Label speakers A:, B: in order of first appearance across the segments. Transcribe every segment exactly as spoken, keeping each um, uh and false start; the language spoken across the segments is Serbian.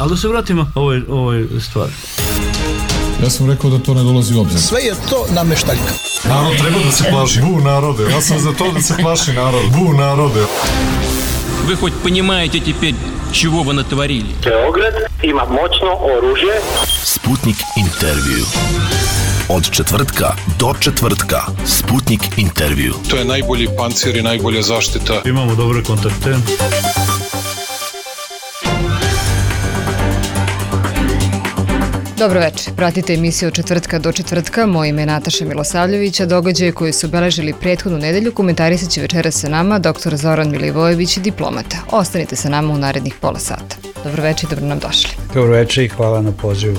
A: Ali da se vratimo ovoj, ovoj stvari.
B: Ja sam rekao da to ne dolazi u obzir.
C: Sve je to nameštaljka.
B: Narod treba da se plaši. Bu narode. Ja sam za to da se plaši narod. Bu narode.
D: Вы хоть понимаете теперь, чего вы натворили?
E: Beograd ima moćno oružje.
F: Sputnik intervju. Od četvrtka do četvrtka. Sputnik intervju.
G: To je najbolji pancir i najbolja zaštita.
A: Imamo dobre kontakte.
H: Dobro večer, pratite emisiju od četvrtka do četvrtka. Moje ime je Nataša Milosavljević, a događaje koji su obeležili prethodnu nedelju komentarisat će večeras sa nama doktor Zoran Milivojević, diplomata. Ostanite sa nama u narednih pola sata. Dobro večer i dobro nam došli.
I: Dobro večer i hvala na pozivu.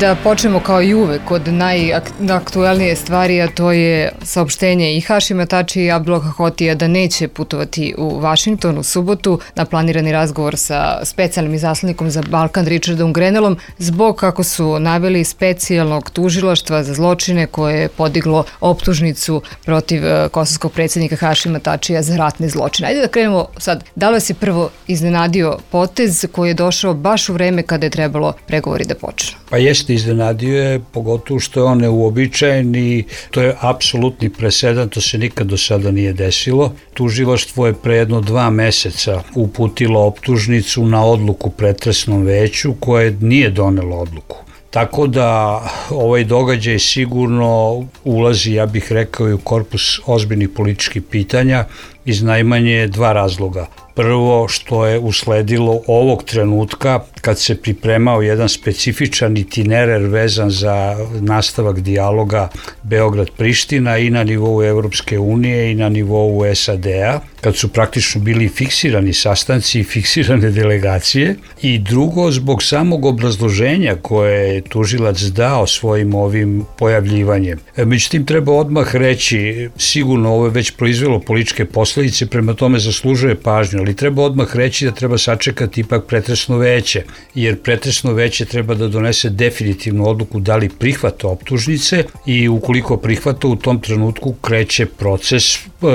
H: Da počnemo kao i uvek od najaktuelnije stvari, a to je saopštenje i Hašima Tačija i Abdullaha Hotija da neće putovati u Vašington u subotu na planirani razgovor sa specijalnim izaslanikom za Balkan Richardom Grenellom zbog, kako su naveli, specijalnog tužilaštva za zločine koje je podiglo optužnicu protiv kosovskog predsjednika Hašima Tačija za ratne zločine. Ajde da krenemo sad. Da li vas je prvo iznenadio potez koji je došao baš u vreme kada je trebalo pregovori da počnu?
I: Pa jeste, iznenadio je, pogotovo što je on neuobičajen i to je apsolutni presedan, to se nikad do sada nije desilo. Tužilaštvo je pre jedno dva meseca uputilo optužnicu na odluku pretresnom veću koje nije donelo odluku. Tako da ovaj događaj sigurno ulazi, ja bih rekao, i u korpus ozbiljnih političkih pitanja iz najmanje dva razloga. Prvo, što je usledilo ovog trenutka kad se pripremao jedan specifičan itinerar vezan za nastavak dijaloga Beograd-Priština i na nivou Evropske unije i na nivou S A D-a, kad su praktično bili fiksirani sastanci i fiksirane delegacije. I drugo, zbog samog obrazloženja koje je tužilac dao svojim ovim pojavljivanjem. Međutim, treba odmah reći, sigurno ovo je već proizvelo političke posledice, prema tome zaslužuje pažnju, ali treba odmah reći da treba sačekati ipak pretresno veće, jer pretresno veće treba da donese definitivnu odluku da li prihvata optužnice i ukoliko prihvata, u tom trenutku kreće proces.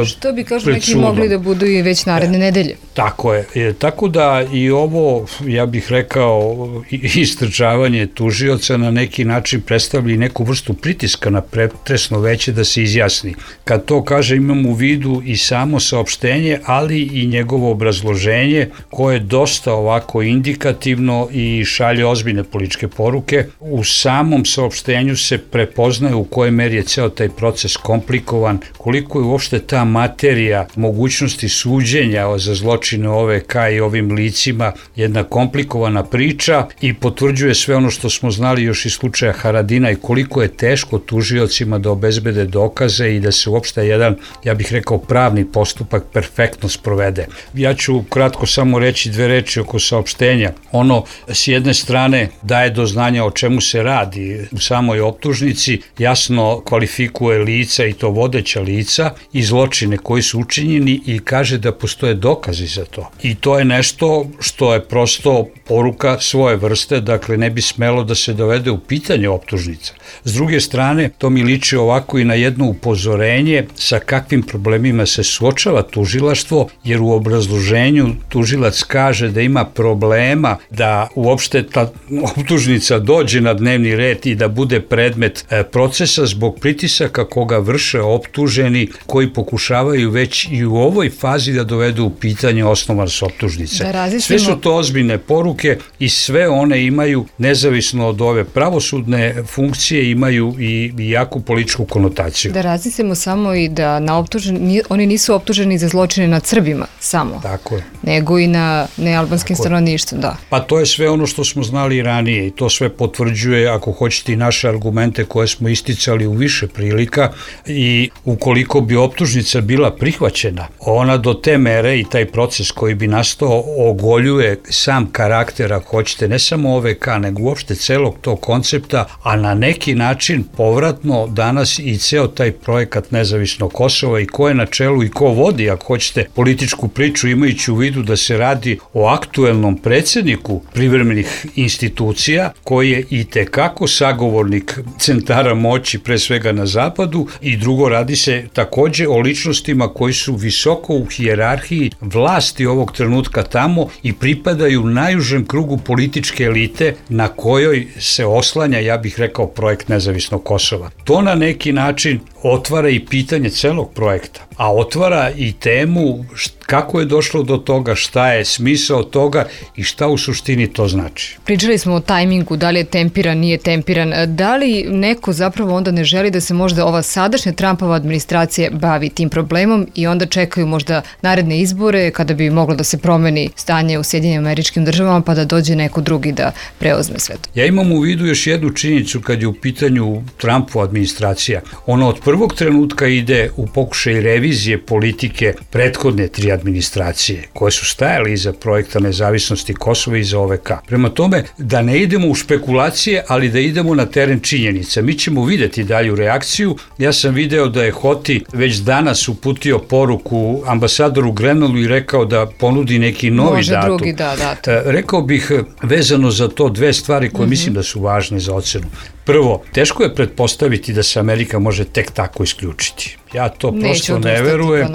H: Što bi, kažu neki, mogli da budu i već naredne e, nedelje.
I: Tako je. E, tako da i ovo, ja bih rekao, istrčavanje tužioca na neki način predstavlja i neku vrstu pritiska na pretresno veće da se izjasni. Kad to kaže, imam u vidu i samo saopštenje, ali i njegovo obrazloženje koje je dosta ovako indikativno i šalje ozbiljne političke poruke. U samom saopštenju se prepoznaje u kojoj meri je ceo taj proces komplikovan, koliko je uopšte ta materija mogućnosti suđenja za zločine O V K i ovim licima jedna komplikovana priča i potvrđuje sve ono što smo znali još iz slučaja Haradina i koliko je teško tužiocima da obezbede dokaze i da se uopšte jedan, ja bih rekao, pravni postupak perfektno sprovede. Ja ću kratko samo reći dve reči oko saopštenja. Ono s jedne strane daje do znanja o čemu se radi u samoj optužnici, jasno kvalifikuje lica i to vodeća lica i zločine koji su učinjeni i kaže da postoje dokazi za to. I to je nešto što je prosto poruka svoje vrste, dakle ne bi smelo da se dovede u pitanje optužnica. S druge strane, to mi liči ovako i na jedno upozorenje sa kakvim problemima se suočava tužilaštvo, jer u obrazloženju tužilac kaže da ima problema da uopšte ta optužnica dođe na dnevni red i da bude predmet procesa zbog pritisaka koga vrše optuženi koji pokušavaju već i u ovoj fazi da dovedu u pitanje osnovanost optužnice. Da sve su to ozbiljne poruke i sve one imaju, nezavisno od ove pravosudne funkcije, imaju i, i jaku političku konotaciju.
H: Da razmislimo samo i da na optuženi, oni nisu optuženi za zločine nad Srbima samo,
I: tako je,
H: nego i na nealbanskim stanovništvom, da.
I: Pa to je sve ono što smo znali i ranije i to sve potvrđuje, ako hoćete, i naše argumente koje smo isticali u više prilika i ukoliko bi optužnica bila prihvaćena, ona do te mere i taj proces koji bi nastao ogoljuje sam karakter, ako hoćete, ne samo O V K, nego uopšte celog tog koncepta, a na neki način povratno danas i ceo taj projekat nezavisnog Kosova i ko je na čelu i ko vodi, ako hoćete, političku priču, imajući u vidu da se radi o aktuelnom predsjedniku nizu privremenih institucija, koji je i tekako sagovornik centara moći, pre svega na zapadu, i drugo, radi se takođe o ličnostima koji su visoko u hijerarhiji vlasti ovog trenutka tamo i pripadaju najužem krugu političke elite na kojoj se oslanja, ja bih rekao, projekt nezavisnog Kosova. To na neki način otvara i pitanje celog projekta, a otvara i temu kako je došlo do toga, šta je smisao toga i šta u suštini to znači.
H: Pričali smo o tajmingu, da li je tempiran, nije tempiran. Da li neko zapravo onda ne želi da se možda ova sadašnja Trumpova administracija bavi tim problemom i onda čekaju možda naredne izbore kada bi moglo da se promeni stanje u Sjedinjenim Američkim Državama pa da dođe neko drugi da preuzme sve to?
I: Ja imam u vidu još jednu činjenicu kad je u pitanju Trumpova administracija. Ona od prvog trenutka ide u pokušaj revizije politike prethodne tri administracije koje su stajali iza projekta nezavisnosti Kosova i za O V K. Prema tome, da ne idemo u špekulacije, ali da idemo na teren činjenica. Mi ćemo videti dalju reakciju. Ja sam video da je Hoti već danas uputio poruku ambasadoru Grenellu i rekao da ponudi neki novi
H: Može
I: datum.
H: drugi, da, datum.
I: Rekao bih vezano za to dve stvari koje mm-hmm. mislim da su važne za ocenu. Prvo, teško je pretpostaviti da se Amerika može tek tako isključiti. Ja to prosto ne verujem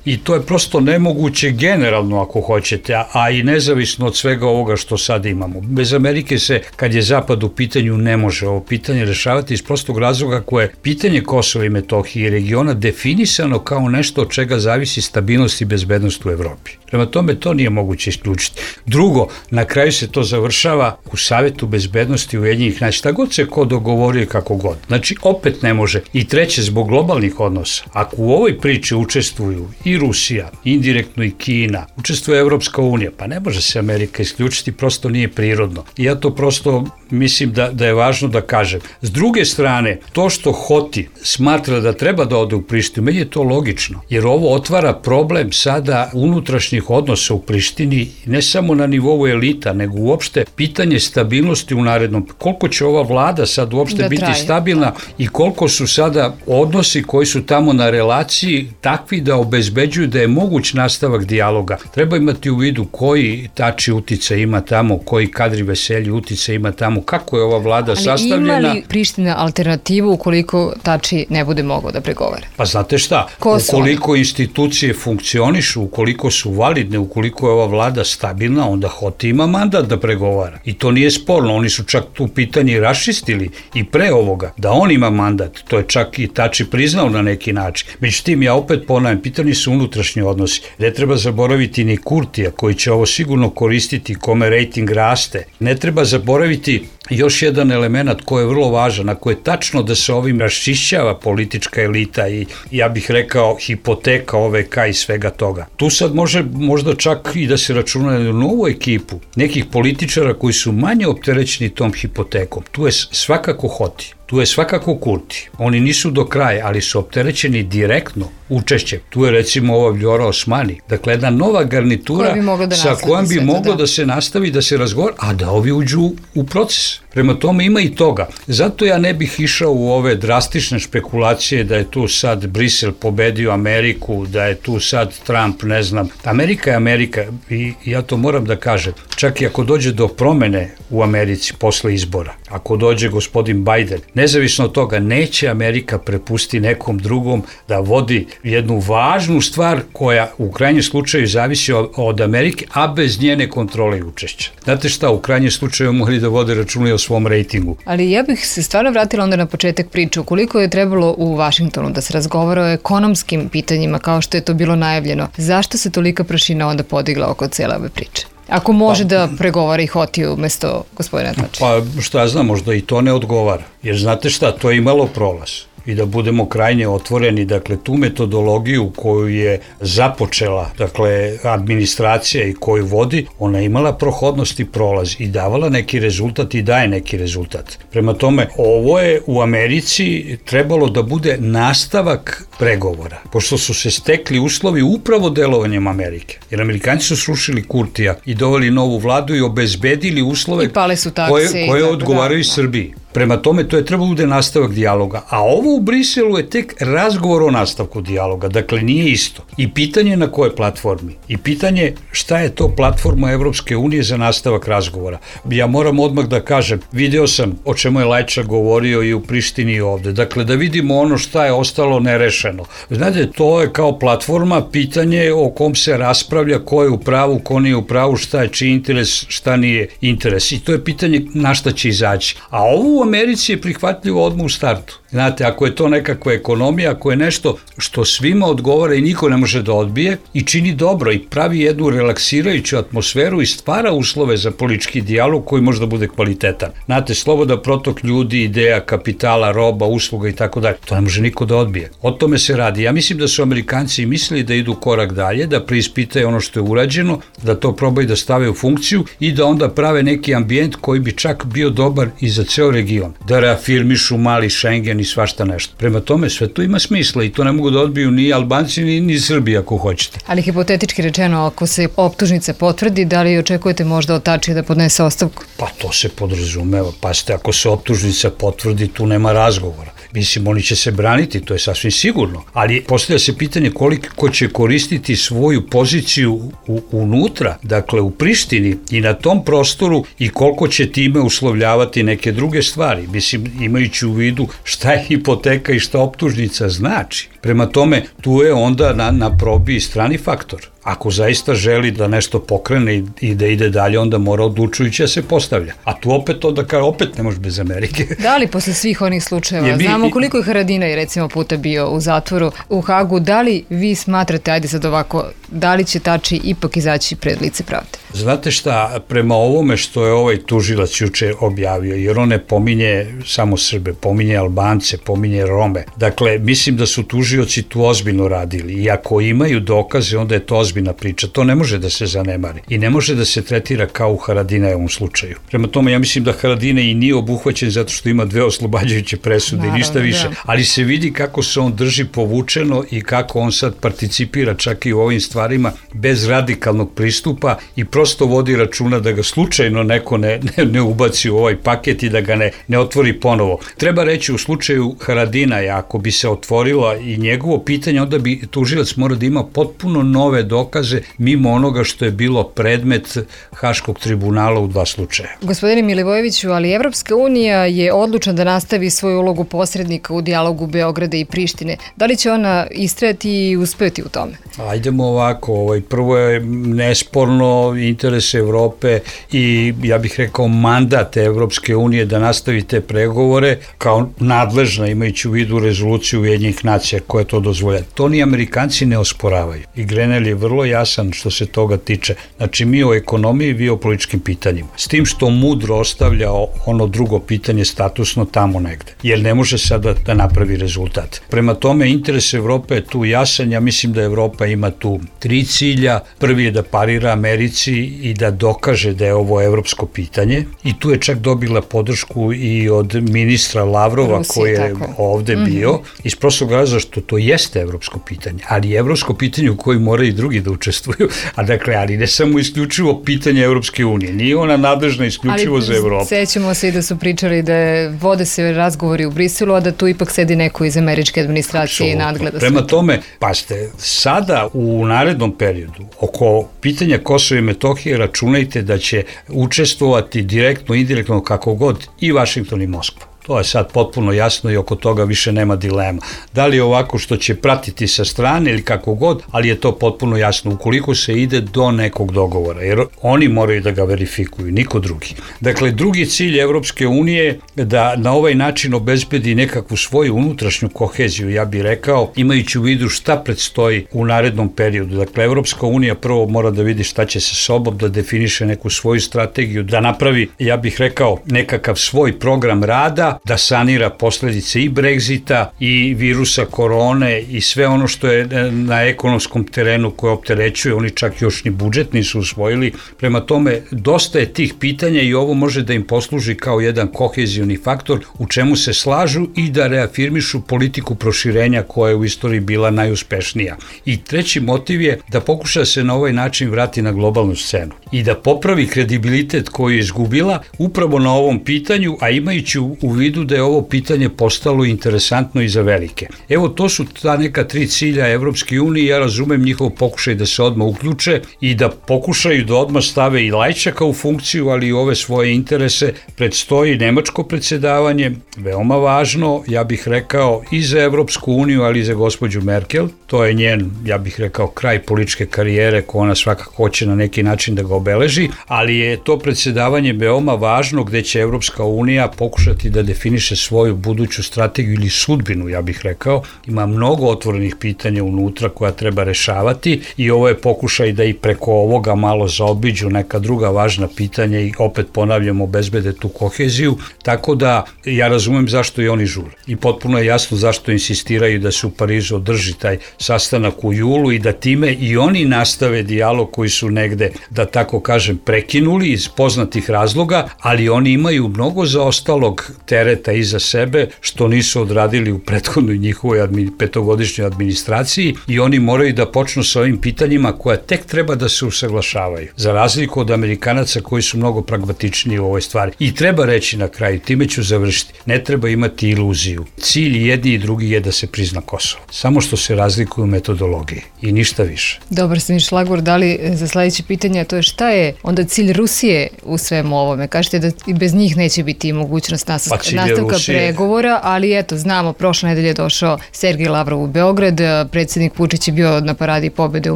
I: i to je prosto nemoguće generalno ako hoćete, a, a i nezavisno od svega ovoga što sad imamo. Bez Amerike se, kad je Zapad u pitanju, ne može ovo pitanje rešavati iz prostog razloga koje je pitanje Kosova i Metohije i regiona definisano kao nešto od čega zavisi stabilnost i bezbednost u Evropi. Prema tome, to nije moguće isključiti. Drugo, na kraju se to završava u Savetu bezbednosti Ujedinjenih nacija, šta god se ko dogovorio kako god. Znači, opet ne može. I treće, zbog globalnih odnosa. Ako u ovoj priči učestvuju i Rusija, indirektno i Kina, učestvuje Evropska unija, pa ne može se Amerika isključiti, prosto nije prirodno. I ja to prosto mislim da, da je važno da kažem. S druge strane, to što Hoti smatra da treba da ode u Prištinu, meni je to logično, jer ovo otvara problem sada unutrašnjih odnosa u Prištini, ne samo na nivou elita, nego uopšte pitanje stabilnosti u narednom. Koliko će ova vlada sad uopšte da biti traje, stabilna da. I koliko su sada odnosi koji su tamo na relaciji takvi da obezbeđuju da je moguć nastavak dijaloga. Treba imati u vidu koji tači uticaj ima tamo, koji Kadri Veselji uticaj ima tamo, kako je ova vlada
H: ali
I: sastavljena.
H: Ali ima li Priština alternativu ukoliko Tači ne bude mogao da pregovara?
I: Pa znate šta, Kosovo. Ukoliko institucije funkcionišu, ukoliko su validne, ukoliko je ova vlada stabilna, onda Hoti ima mandat da pregovara. I to nije sporno, oni su čak tu pitanje raščistili i pre ovoga, da on ima mandat, to je čak i Tači priznao na neki način. Međutim, ja opet ponavljam, pitanje su unutrašnji odnosi. Ne treba zaboraviti ni Kurtija, koji će ovo sigurno koristiti, kome rejting raste. Ne treba zaboraviti još jedan element koji je vrlo važan, ako je tačno da se ovim raščišćava politička elita i ja bih rekao hipoteka O V K i svega toga. Tu sad može možda čak i da se računa na novu ekipu nekih političara koji su manje opterećeni tom hipotekom. Tu je svakako Hoti. Tu je svakako Kurti. Oni nisu do kraja, ali su opterećeni direktno učešćem. Tu je recimo ova Vljora Osmani. Dakle, jedna nova garnitura
H: da
I: sa kojom bi moglo da. da se nastavi, da se razgovara, a da ovi uđu u proces. Prema tome ima i toga. Zato ja ne bih išao u ove drastične špekulacije da je tu sad Brisel pobedio Ameriku, da je tu sad Trump, ne znam. Amerika je Amerika i ja to moram da kažem. Čak i ako dođe do promene u Americi posle izbora, ako dođe gospodin Biden, nezavisno od toga, neće Amerika prepusti nekom drugom da vodi jednu važnu stvar koja u krajnjem slučaju zavisi od, od Amerike, a bez njene kontrole i učešća. Znate šta, u krajnjem slučaju mogli da vode računa i o svom rejtingu.
H: Ali ja bih se stvarno vratila onda na početak priče. Koliko je trebalo u Vašingtonu da se razgovara o ekonomskim pitanjima kao što je to bilo najavljeno? Zašto se tolika prašina onda podigla oko cele ove priče? Ako može pa, da pregovara i Hotiju umesto gospodina Tači.
I: Pa što ja znam, možda i to ne odgovara. Jer znate šta, to je imalo prolaz. I da budemo krajnje otvoreni, dakle, tu metodologiju koju je započela, dakle, administracija i koju vodi, ona je imala prohodnost i prolaz i davala neki rezultat i daje neki rezultat. Prema tome, ovo je u Americi trebalo da bude nastavak pregovora, pošto su se stekli uslovi upravo delovanjem Amerike. Jer Amerikanci su srušili Kurtija i doveli novu vladu i obezbedili uslove
H: I pale su takse
I: koje, koje odgovaraju da, Srbiji. Prema tome, to je trebalo bude nastavak dijaloga. A ovo u Briselu je tek razgovor o nastavku dijaloga. Dakle, nije isto. I pitanje na kojoj platformi. I pitanje šta je to platforma Evropske unije za nastavak razgovora. Ja moram odmah da kažem, video sam o čemu je Lajčak govorio i u Prištini i ovde. Dakle, da vidimo ono šta je ostalo nerešeno. Znate, to je kao platforma pitanje o kom se raspravlja ko je u pravu, ko nije u pravu, šta je čiji interes, šta nije interes. I to je pitanje na šta će izaći. A ovo u Americi je prihvatljivo odmah u startu. Znate, ako je to nekakva ekonomija, ako je nešto što svima odgovara i niko ne može da odbije i čini dobro i pravi jednu relaksirajuću atmosferu i stvara uslove za politički dijalog koji može da bude kvalitetan. Znate, sloboda protok ljudi, ideja, kapitala, roba, usluga i tako dalje. To ne može niko da odbije. O tome se radi. Ja mislim da su Amerikanci mislili da idu korak dalje, da preispitaju ono što je urađeno, da to probaju da stave u funkciju i da onda prave neki ambijent koji bi čak bio dobar i za ceo region. Da reafirmišu mali Schengen i svašta nešto. Prema tome, sve to ima smisla i to ne mogu da odbiju ni Albanci ni, ni Srbi ako hoćete.
H: Ali hipotetički rečeno, ako se optužnica potvrdi, da li očekujete možda od Tačija da podnese ostavku?
I: Pa to se podrazumeva. Pazite, ako se optužnica potvrdi, tu nema razgovora. Mislim, oni će se braniti, to je sasvim sigurno. Ali postavlja se pitanje koliko će koristiti svoju poziciju u, unutra, dakle u Prištini i na tom prostoru i koliko će time uslovljavati neke druge stvari. Mislim, imajući u vidu šta je hipoteka i šta optužnica znači. Prema tome, tu je onda na, na probi i strani faktor. Ako zaista želi da nešto pokrene i, i da ide dalje, onda mora odlučujuće da se postavlja. A tu opet onda kao opet ne može bez Amerike. Da
H: li posle svih onih slučajeva, bi, znamo koliko je Haradinaj recimo puta bio u zatvoru u Hagu, da li vi smatrate, ajde sad ovako, da li će Tači ipak izaći pred lice pravde?
I: Znate šta, prema ovome što je ovaj tužilac juče objavio, jer on ne pominje samo Srbe, pominje Albance, pominje Rome. Dakle, mislim da su tužioci tu ozbiljno radili i ako imaju dokaze, onda je to ozbiljna priča. To ne može da se zanemari i ne može da se tretira kao u Haradinajevom slučaju. Prema tome, ja mislim da Haradinaj i nije obuhvaćen zato što ima dve oslobađajuće presude. Naravno, i ništa više. Da. Ali se vidi kako se on drži povučeno i kako on sad participira čak i u ovim stvarima bez radikalnog pristupa i prosto vodi računa da ga slučajno neko ne, ne, ne ubaci u ovaj paket i da ga ne, ne otvori ponovo. Treba reći u slučaju Haradinaja, ako bi se otvorila i njegovo pitanje, onda bi tužilac mora da ima potpuno nove dokaze mimo onoga što je bilo predmet Haškog tribunala u dva slučaja.
H: Gospodine Milivojeviću, ali Evropska unija je odlučna da nastavi svoju ulogu posrednika u dijalogu Beograda i Prištine. Da li će ona istrajati i uspeti u tome?
I: Ajdemo ovako, ovaj, prvo je nesporno interes Evrope i ja bih rekao mandat Evropske unije da nastavi te pregovore kao nadležna, imajući u vidu rezoluciju Ujedinjenih nacija koja to dozvolja. To ni Amerikanci ne osporavaju. I Grenell je vrlo jasan što se toga tiče. Znači, mi o ekonomiji, vi o političkim pitanjima. S tim što mudro ostavlja ono drugo pitanje statusno tamo negde. Jer ne može sada da napravi rezultat. Prema tome, interes Evrope je tu jasan. Ja mislim da Evropa ima tu tri cilja. Prvi je da parira Americi i da dokaže da je ovo evropsko pitanje. I tu je čak dobila podršku i od ministra Lavrova Rusije, koji je tako ovde mm-hmm. bio. Iz prostog razloga što to jeste evropsko pitanje. Ali je evropsko pitanje u kojoj moraju i drugi da učestvuju. A dakle, ali ne samo isključivo pitanje Evropske unije. Nije ona nadležna isključivo ali za Evropu.
H: Sećamo se i da su pričali da je, vode se razgovori u Briselu, a da tu ipak sedi neko iz američke administracije i nadgleda sve.
I: Prema tome, pazite, sada u narednom periodu oko pitanja Kosova i Metohije računajte da će učestvovati direktno, indirektno, kako god i Vašington i Moskva. To je sad potpuno jasno i oko toga više nema dilema. Da li je ovako što će pratiti sa strane ili kako god, ali je to potpuno jasno ukoliko se ide do nekog dogovora, jer oni moraju da ga verifikuju, niko drugi. Dakle, drugi cilj Evropske unije je da na ovaj način obezbedi nekakvu svoju unutrašnju koheziju, ja bih rekao, imajući u vidu šta predstoji u narednom periodu. Dakle, Evropska unija prvo mora da vidi šta će sa sobom, da definiše neku svoju strategiju, da napravi, ja bih rekao, nekakav svoj program rada, da sanira posledice i Brexita i virusa korone i sve ono što je na ekonomskom terenu koje opterećuje, oni čak još ni budžet nisu usvojili. Prema tome, dosta je tih pitanja i ovo može da im posluži kao jedan kohezioni faktor u čemu se slažu i da reafirmišu politiku proširenja koja je u istoriji bila najuspešnija. I treći motiv je da pokuša se na ovaj način vrati na globalnu scenu i da popravi kredibilitet koji je izgubila upravo na ovom pitanju, a imajući u vidu vidu da je ovo pitanje postalo interesantno i za velike. Evo, to su ta neka tri cilja Evropske unije, ja razumem njihov pokušaj da se odmah uključe i da pokušaju da odmah stave i Lajčaka u funkciju, ali i ove svoje interese. Predstoji nemačko predsjedavanje, veoma važno, ja bih rekao, i za Evropsku uniju, ali i za gospođu Merkel. To je njen, ja bih rekao, kraj političke karijere ko ona svakako hoće na neki način da ga obeleži, ali je to predsjedavanje veoma važno gde će Evropska unija pokušati da definiše svoju buduću strategiju ili sudbinu, ja bih rekao. Ima mnogo otvorenih pitanja unutra koja treba rešavati i ovo je pokušaj da i preko ovoga malo zaobiđu neka druga važna pitanja i opet ponavljamo obezbede tu koheziju, tako da ja razumem zašto i oni žure. I potpuno je jasno zašto insistiraju da se u Parizu održi taj sastanak u julu i da time i oni nastave dijalog koji su negde, da tako kažem, prekinuli iz poznatih razloga, ali oni imaju mnogo zaostalog tereta iza sebe što nisu odradili u prethodnoj njihovoj admi, petogodišnjoj administraciji i oni moraju da počnu sa ovim pitanjima koja tek treba da se usaglašavaju. Za razliku od Amerikanaca koji su mnogo pragmatičniji u ovoj stvari. I treba reći na kraju, time ću završiti, ne treba imati iluziju. Cilj jedni i drugi je da se prizna Kosovo. Samo što se razlikuju u metodologiji i ništa više.
H: Dobar ste mi šlagvor dali za sledeće pitanje, a to je šta je onda cilj Rusije u svemu ovome? Kažete da i bez njih neće biti mogućnost nastavka, pa nastavka Rusije... pregovora, ali eto, znamo, prošle nedelje je došao Sergej Lavrov u Beograd, predsjednik Vučić je bio na paradi pobede u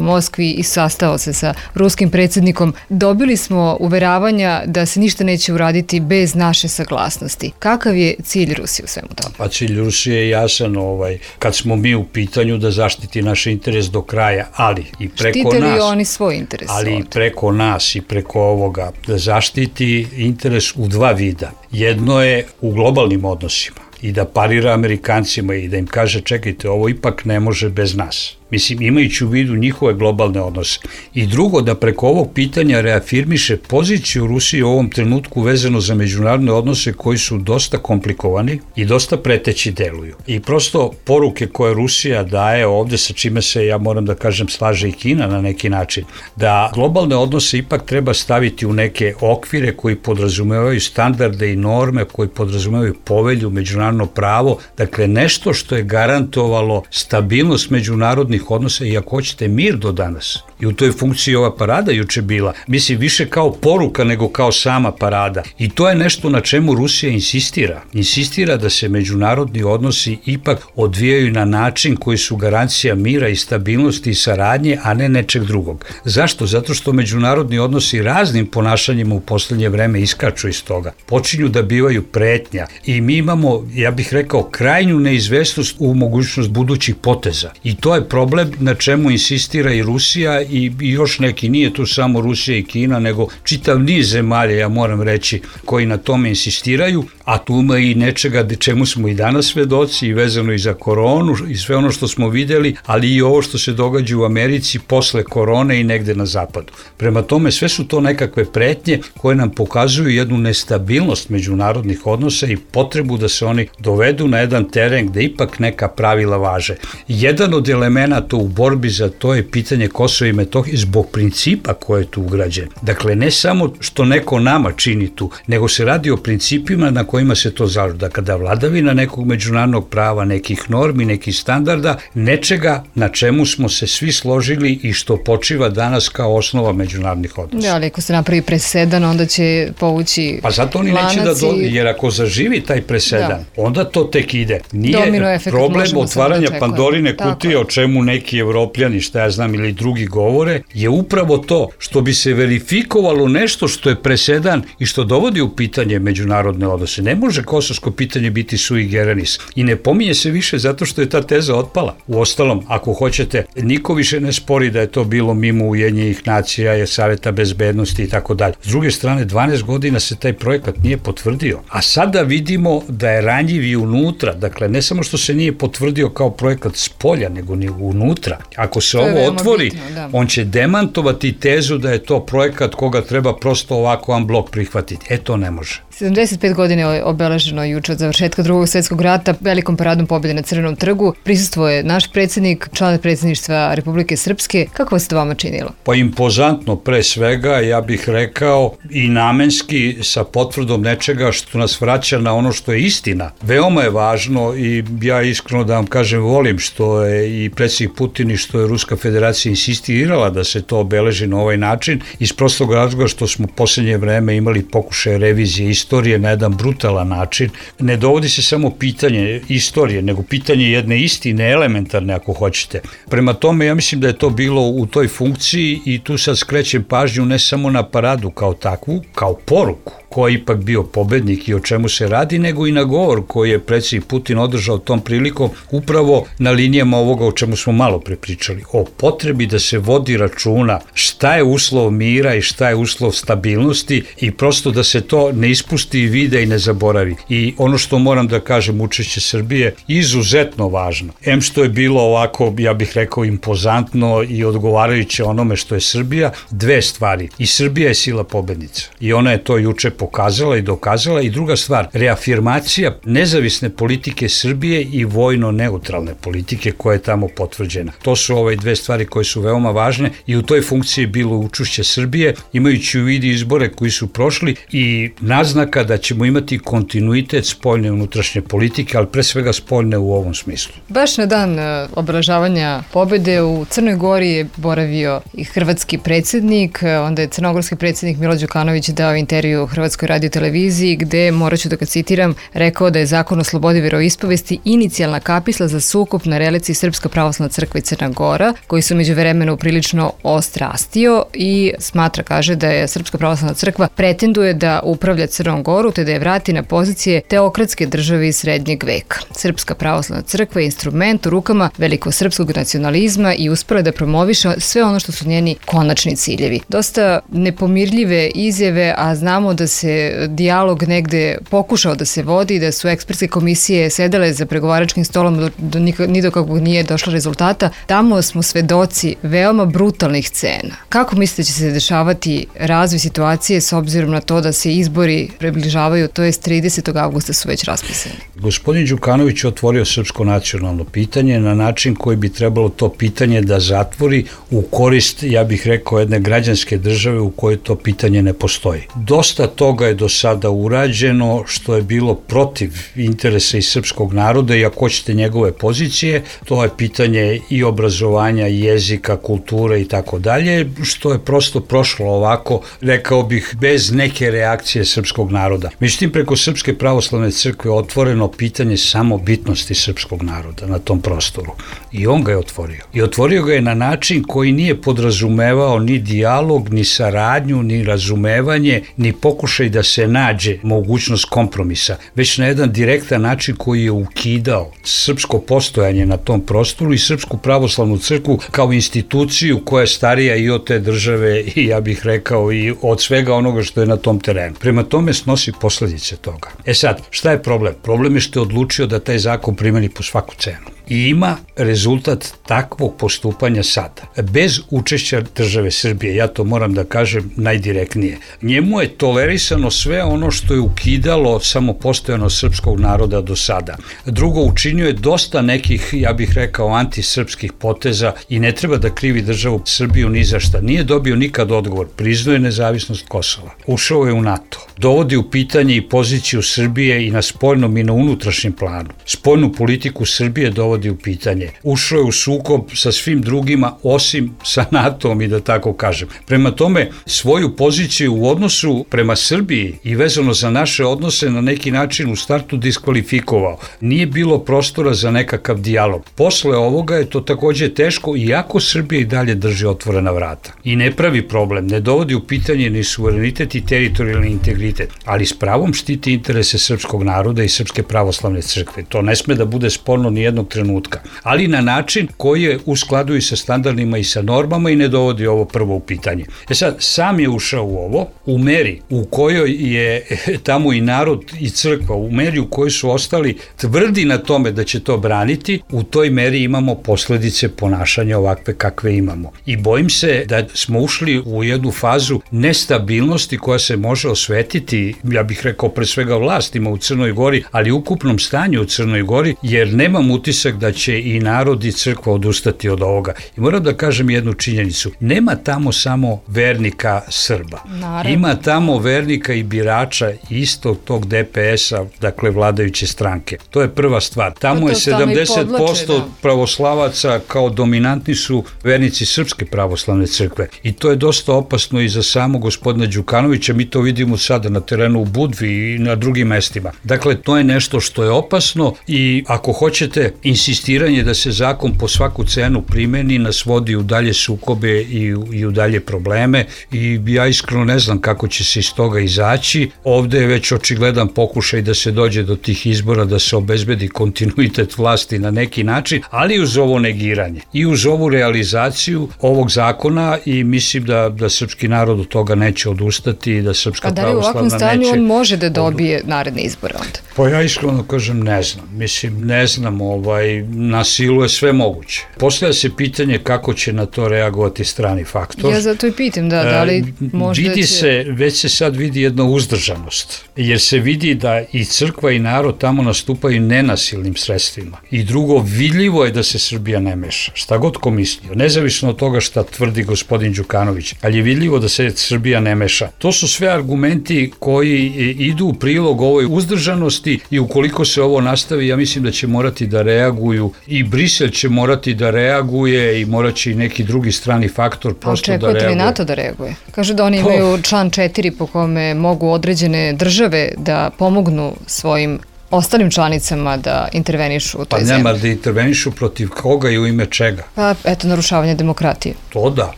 H: Moskvi i sastao se sa ruskim predsjednikom. Dobili smo uveravanja da se ništa neće uraditi bez naše saglasnosti. Kakav je cilj Rusije u svemu tome?
I: Pa cilj Rusije je jasan, ovaj, kad smo mi u pitanju da zaštiti naš interes do kraja, ali i preko
H: Štite
I: nas...
H: li oni svoj interes?
I: Ali i preko nas i preko ovoga da zaštiti interes u dva vida. Jedno je u globalnim odnosima i da parira Amerikancima i da im kaže čekajte, ovo ipak ne može bez nas. Mislim, imajući u vidu njihove globalne odnose. I drugo, da preko ovog pitanja reafirmiše poziciju Rusije u ovom trenutku vezano za međunarodne odnose koji su dosta komplikovani i dosta preteći deluju. I prosto poruke koje Rusija daje ovde, sa čime se, ja moram da kažem, slaže i Kina na neki način, da globalne odnose ipak treba staviti u neke okvire koji podrazumevaju standarde i norme, koji podrazumevaju povelju, međunarodno pravo, dakle nešto što je garantovalo stabilnost međunarodnih odnosa i ako hoćete mir do danas. I u toj funkciji ova parada juče bila, mislim, više kao poruka nego kao sama parada. I to je nešto na čemu Rusija insistira. Insistira da se međunarodni odnosi ipak odvijaju na način koji su garancija mira i stabilnosti i saradnje, a ne nečeg drugog. Zašto? Zato što međunarodni odnosi raznim ponašanjima u poslednje vreme iskaču iz toga. Počinju da bivaju pretnja i mi imamo, ja bih rekao, krajnju neizvesnost u mogućnost budućih poteza. I to je problem na čemu insistira i Rusija i još neki, nije tu samo Rusija i Kina, nego čitav niz zemalja, ja moram reći, koji na tome insistiraju, a tu ima i nečega čemu smo i danas svedoci i vezano i za koronu i sve ono što smo videli, ali i ovo što se događa u Americi posle korone i negde na zapadu. Prema tome, sve su to nekakve pretnje koje nam pokazuju jednu nestabilnost međunarodnih odnosa i potrebu da se oni dovedu na jedan teren gde ipak neka pravila važe. Jedan od elemenata u borbi za to je pitanje Kosova i Metohije zbog principa koje je tu ugrađen. Dakle, ne samo što neko nama čini tu, nego se radi o principima na kojima se to zalaže. Da kada vladavina nekog međunarodnog prava, nekih normi, nekih standarda, nečega na čemu smo se svi složili i što počiva danas kao osnova međunarodnih odnosa.
H: Da, ali ako se napravi presedan, onda će povući Pa zato oni neće da do...
I: jer ako zaživi taj presedan, da. onda to tek ide. Nije problem otvaranja Pandorine kutije, o čemu neki evropljani, šta ja znam, ili drugi govore, je upravo to što bi se verifikovalo nešto što je presedan i što dovodi u pitanje međunarodne odnose. Ne može kosovsko pitanje biti sui generis i ne pominje se više zato što je ta teza otpala. Uostalom, ako hoćete, niko više ne spori da je to bilo mimo Ujedinjenih nacija, je Saveta bezbednosti i tako dalje. S druge strane, dvanaest godina se taj projekat nije potvrdio, a sada vidimo da je ranjiv i unutra, dakle ne samo što se nije potvrdio kao projekat s polja, nego ni unutra. Ako se ovo otvori, bitno, da. on će demantovati tezu da je to projekat koga treba prosto ovako unblock prihvatiti. E, to ne može.
H: sedamdeset pet godina je obeleženo juče od završetka drugog svjetskog rata velikom paradom pobjede na Crvenom trgu. Prisustvuje naš predsjednik, član predsjedništva Republike Srpske. Kako vas to vama činilo?
I: Pa impozantno pre svega, ja bih rekao i namenski sa potvrdom nečega što nas vraća na ono što je istina. Veoma je važno i ja iskreno da vam kažem volim što je i predsjednik Putin i što je Ruska federacija insistirala da se to obeleži na ovaj način iz prostog razloga što smo u posljednje vreme imali pokušaje revizije istorije na jedan brutalan način. Ne dovodi se samo pitanje istorije, nego pitanje jedne istine, elementarne ako hoćete. Prema tome, ja mislim da je to bilo u toj funkciji i tu sad skrećem pažnju ne samo na paradu kao takvu, kao poruku ko je ipak bio pobednik i o čemu se radi, nego i na govor koji je predsjednik Putin održao tom prilikom upravo na linijama ovoga o čemu smo malo prepričali, o potrebi da se vodi računa šta je uslov mira i šta je uslov stabilnosti i prosto da se to ne ispusti i vide i ne zaboravi. I ono što moram da kažem, učešće Srbije izuzetno važno. Em što je bilo ovako, ja bih rekao, impozantno i odgovarajuće onome što je Srbija, dve stvari. I Srbija je sila pobednica. I ona je to juče pokazala i dokazala. I druga stvar, reafirmacija nezavisne politike Srbije i vojno-neutralne politike koja je tamo potvrđena. To su ove dve stvari koje su veoma važne i u toj funkciji je bilo učešće Srbije, imajući u vidu izbore koji su prošli i naznaka da ćemo imati kontinuitet spoljne i unutrašnje politike, ali pre svega spoljne u ovom smislu.
H: Baš na dan obeležavanja pobede u Crnoj Gori je boravio i hrvatski predsjednik, onda je crnogorski predsjednik Milo Đukanović dao intervju Hrvatskoj radioteleviziji gde, morat ću da ga citiram, rekao da je zakon o slobodi veroispovesti inicijalna kapisla za sukob na reliciji Srpska pravoslavna crkva i Crna Gora, koji su među vremenu prilično ostrastio i smatra, kaže, da je Srpska pravoslavna crkva pretenduje da upravlja Crnom Goru te da je vrati na pozicije teokratske države iz srednjeg veka. Srpska pravoslavna crkva je instrument u rukama velikosrpskog nacionalizma i uspela da promoviše sve ono što su njeni konačni ciljevi. Dosta nepomirljive izjave, a znamo da se dijalog negde pokušao da se vodi, da su ekspertske komisije sedele za pregovaračkim stolom, do, do, ni do kakvog nije došlo rezultata. Tamo smo svedoci veoma brutalnih scena. Kako mislite da će se dešavati razvoj situacije s obzirom na to da se izbori približavaju, to je tridesetog avgusta su već raspisani?
I: Gospodin Đukanović je otvorio srpsko nacionalno pitanje na način koji bi trebalo to pitanje da zatvori u korist, ja bih rekao, jedne građanske države u kojoj to pitanje ne postoji. Dosta toga je do sada urađeno što je bilo protiv interesa i srpskog naroda i ako hoćete njegove pozicije, to je pitanje i obrazovanja, i jezika, kulture i tako dalje, što je prosto prošlo ovako, rekao bih, bez neke reakcije srpskog naroda. Međutim, preko Srpske pravoslavne crkve je otvoreno pitanje samobitnosti srpskog naroda na tom prostoru. I on ga je otvorio. I otvorio ga je na način koji nije podrazumevao ni dijalog, ni saradnju, ni razumevanje, ni pokušaj da se nađe mogućnost kompromisa, već na jedan direktan način koji je ukidao srpsko postojanje na tom prostoru i Srpsku pravoslavnu crkvu kao instituciju koja je starija i od te države i ja bih rekao i od svega onoga što je na tom terenu. Prema tome snosi posledice toga. E sad, šta je problem? Problem je što je odlučio da taj zakon primeni po svaku cenu. I ima rezultat takvog postupanja sada. Bez učešća države Srbije, ja to moram da kažem najdirektnije. Njemu je tolerisano sve ono što je ukidalo samopostojano srpskog naroda do sada. Drugo, učinio je dosta nekih, ja bih rekao, antisrpskih poteza i ne treba da krivi državu Srbiju ni za šta. Nije dobio nikad odgovor. Priznao je nezavisnost Kosova. Ušao je u NATO. Dovodi u pitanje i poziciju Srbije i na spoljnom i na unutrašnjem planu. Spoljnu politiku Srbije dovodi u pitanje. Ušao je u sukob sa svim drugima osim sa NATO-om i da tako kažem. Prema tome, svoju poziciju u odnosu prema Srbiji i vezano za naše odnose na neki način u startu diskvalifikovao. Nije bilo prostora za nekakav dijalog. Posle ovoga je to takođe teško, iako Srbija i dalje drži otvorena vrata. I ne pravi problem, ne dovodi u pitanje ni suverenitet i teritorijalni integritet, ali s pravom štiti interese srpskog naroda i Srpske pravoslavne crkve. To ne sme da bude sporno ni jednog trenutka trenutka, ali na način koji je u skladu i sa standardima i sa normama i ne dovodi ovo prvo u pitanje. E sad, sam je ušao u ovo, u meri u kojoj je tamo i narod i crkva, u meri u kojoj su ostali tvrdi na tome da će to braniti, u toj meri imamo posledice ponašanja ovakve kakve imamo. I bojim se da smo ušli u jednu fazu nestabilnosti koja se može osvetiti, ja bih rekao pre svega vlastima u Crnoj Gori, ali ukupnom stanju u Crnoj Gori, jer nemam utisak da će i narod i crkva odustati od ovoga. I moram da kažem jednu činjenicu, nema tamo samo vernika Srba. Naravno. Ima tamo vernika i birača istog tog D P S-a, dakle vladajuće stranke. To je prva stvar. Tamo je sedamdeset posto da. pravoslavaca kao dominantni su vernici Srpske pravoslavne crkve. I to je dosta opasno i za samog gospodina Đukanovića, mi to vidimo sada na terenu u Budvi i na drugim mestima. Dakle, to je nešto što je opasno i ako hoćete, insistiranje da se zakon po svaku cenu primeni nas vodi u dalje sukobe i u, i u dalje probleme i ja iskreno ne znam kako će se iz toga izaći. Ovde je već očigledan pokušaj da se dođe do tih izbora, da se obezbedi kontinuitet vlasti na neki način, ali uz ovo negiranje i uz ovu realizaciju ovog zakona i mislim da, da srpski narod od toga neće odustati i da Srpska pravoslavna neće... A da li u ovakvom stanju on može da dobije naredne izbore onda? Pa ja iskreno kažem ne znam. Mislim, ne znam, ovaj, na silu je sve moguće. Postavlja se pitanje kako će na to reagovati strani faktor.
H: Ja zato i pitam, da, da li možda
I: vidi
H: će...
I: se, već se sad vidi jedna uzdržanost, jer se vidi da i crkva i narod tamo nastupaju nenasilnim sredstvima. I drugo, vidljivo je da se Srbija ne meša, šta god ko mislio, nezavisno od toga šta tvrdi gospodin Đukanović, ali je vidljivo da se Srbija ne meša. To su sve argumenti koji idu u prilog ovoj uzdržanosti i ukoliko se ovo nastavi, ja mislim da će morati da reaguju i Brisel će morati da reaguje i morat će i neki drugi strani faktor prosto da reaguje.
H: Očekujete li NATO da reaguje? Kažu da oni imaju član četiri po kome mogu određene države da pomognu svojim ostalim članicama da intervenišu u toj
I: pa
H: zemlji.
I: Pa nema da intervenišu protiv koga i u ime čega.
H: Pa eto, narušavanje demokratije.
I: To da,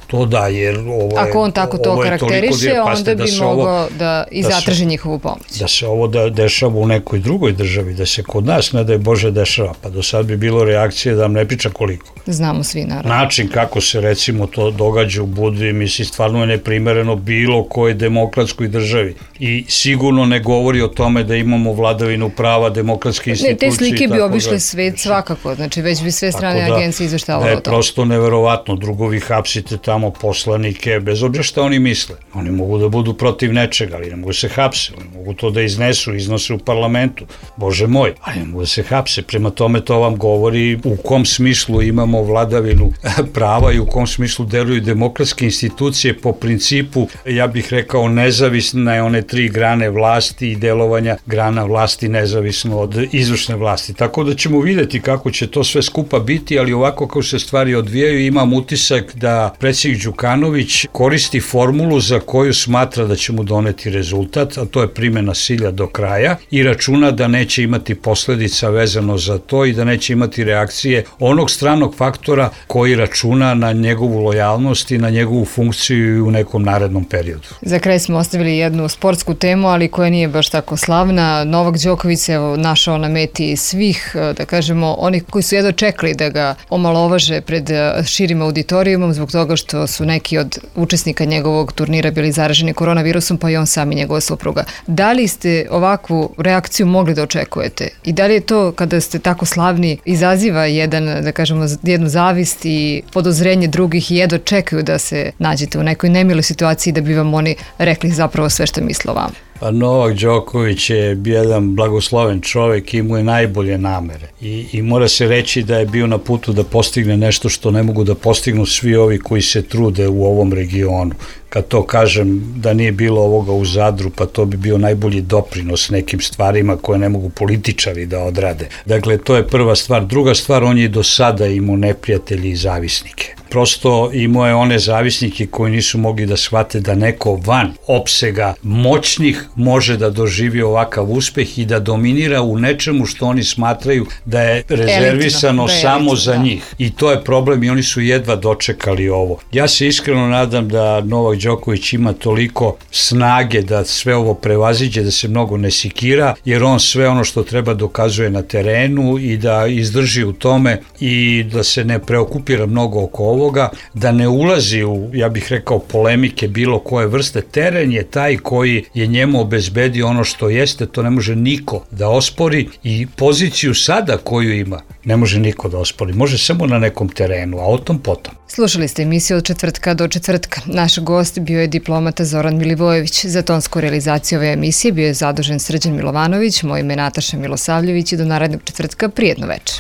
I: to da, jer ovo je...
H: Ako on tako to karakteriše, onda bi mogao da i zatraži njihovu pomoć.
I: Da se ovo da dešava u nekoj drugoj državi, da se kod nas, ne daj Bože, dešava, pa do sad bi bilo reakcije da vam ne priča koliko.
H: Znamo svi, naravno.
I: Način kako se recimo to događa u Budvi, misli, stvarno je neprimereno bilo koje demokratskoj državi i sigurno ne govori o tome da imamo vladavinu prava, demokratske institucije.
H: Ne, te slike bi obišle svet svakako, znači već bi sve strane da, agencije izveštavale o tome.
I: Da je prosto neverovatno, drugo vi hapsite tamo poslanike, bez obzira šta oni misle. Oni mogu da budu protiv nečega, ali ne mogu se hapse, oni mogu to da iznesu, iznose u parlamentu, Bože moj, ali ne mogu da se hapse, prema tome to vam govori u kom smislu imamo vladavinu prava i u kom smislu deluju demokratske institucije po principu, ja bih rekao, nezavisne one tri grane vlasti i delovanja grana vlasti nezavisno od izvršne vlasti. Tako da ćemo videti kako će to sve skupa biti, ali ovako kako se stvari odvijaju imam utisak da predsjednik Đukanović koristi formulu za koju smatra da će mu doneti rezultat, a to je primjena silja do kraja i računa da neće imati posledica vezano za to i da neće imati reakcije onog stranog faktora koji računa na njegovu lojalnost i na njegovu funkciju u nekom narednom periodu.
H: Za kraj smo ostavili jednu sportsku temu, ali koja nije baš tako slavna. Novak Đoković se evo našao na meti svih, da kažemo, onih koji su jedno čekali da ga omalovaže pred širim auditorijumom zbog toga što su neki od učesnika njegovog turnira bili zaraženi koronavirusom, pa i on sam i njegova supruga. Da li ste ovakvu reakciju mogli da očekujete? I da li je to, kada ste tako slavni, izaziva jedan, da kažemo, jednu zavist i podozrenje drugih i jedno čekaju da se nađete u nekoj nemiloj situaciji da bi vam oni rekli zapravo sve što misle o vama?
I: Pa Novak Đoković je jedan blagosloven čovek i imao je najbolje namere I, i mora se reći da je bio na putu da postigne nešto što ne mogu da postignu svi ovi koji se trude u ovom regionu. Kad to kažem da nije bilo ovoga u Zadru, pa to bi bio najbolji doprinos nekim stvarima koje ne mogu političari da odrade. Dakle, to je prva stvar. Druga stvar, on je do sada imao neprijatelji i zavisnike. Prosto imao je one zavisnike koji nisu mogli da shvate da neko van opsega moćnih može da doživi ovakav uspeh i da dominira u nečemu što oni smatraju da je rezervisano da je samo elitno, za da. njih. I to je problem i oni su jedva dočekali ovo. Ja se iskreno nadam da Novak Đoković ima toliko snage da sve ovo prevaziđe, da se mnogo ne sikira, jer on sve ono što treba dokazuje na terenu i da izdrži u tome i da se ne preokupira mnogo oko ovoga, da ne ulazi u, ja bih rekao, polemike bilo koje vrste. Teren je taj koji je njemu obezbedio ono što jeste, to ne može niko da ospori, i poziciju sada koju ima ne može niko da ospori, može samo na nekom terenu, a o tom potom.
H: Slušali ste emisiju od četvrtka do četvrtka. Naš gost bio je diplomata Zoran Milivojević. Za tonsku realizaciju ove emisije bio je zadužen Srđan Milovanović, moje ime Nataša Milosavljević i do narednog četvrtka prijetno večer.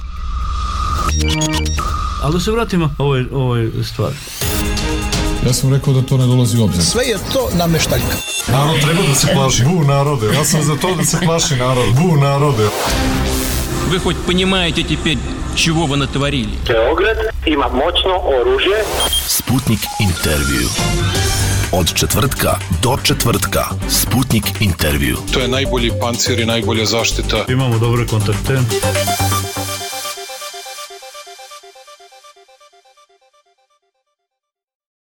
A: Ali da se vratimo ovoj, ovoj stvari.
B: Ja sam rekao da to ne dolazi u obzir.
F: Sve je to nameštaljka.
B: Narod treba da se plaši. Bu narode. Ja sam za to da se plaši narod. Bu narode.
D: Вы хоть понимаете теперь, чего вы натворили?
E: Beograd ima moćno oružje.
F: Sputnik intervju. Od četvrtka do četvrtka. Sputnik intervju.
G: To je najbolji pancir i najbolja zaštita.
A: Imamo dobre kontakte.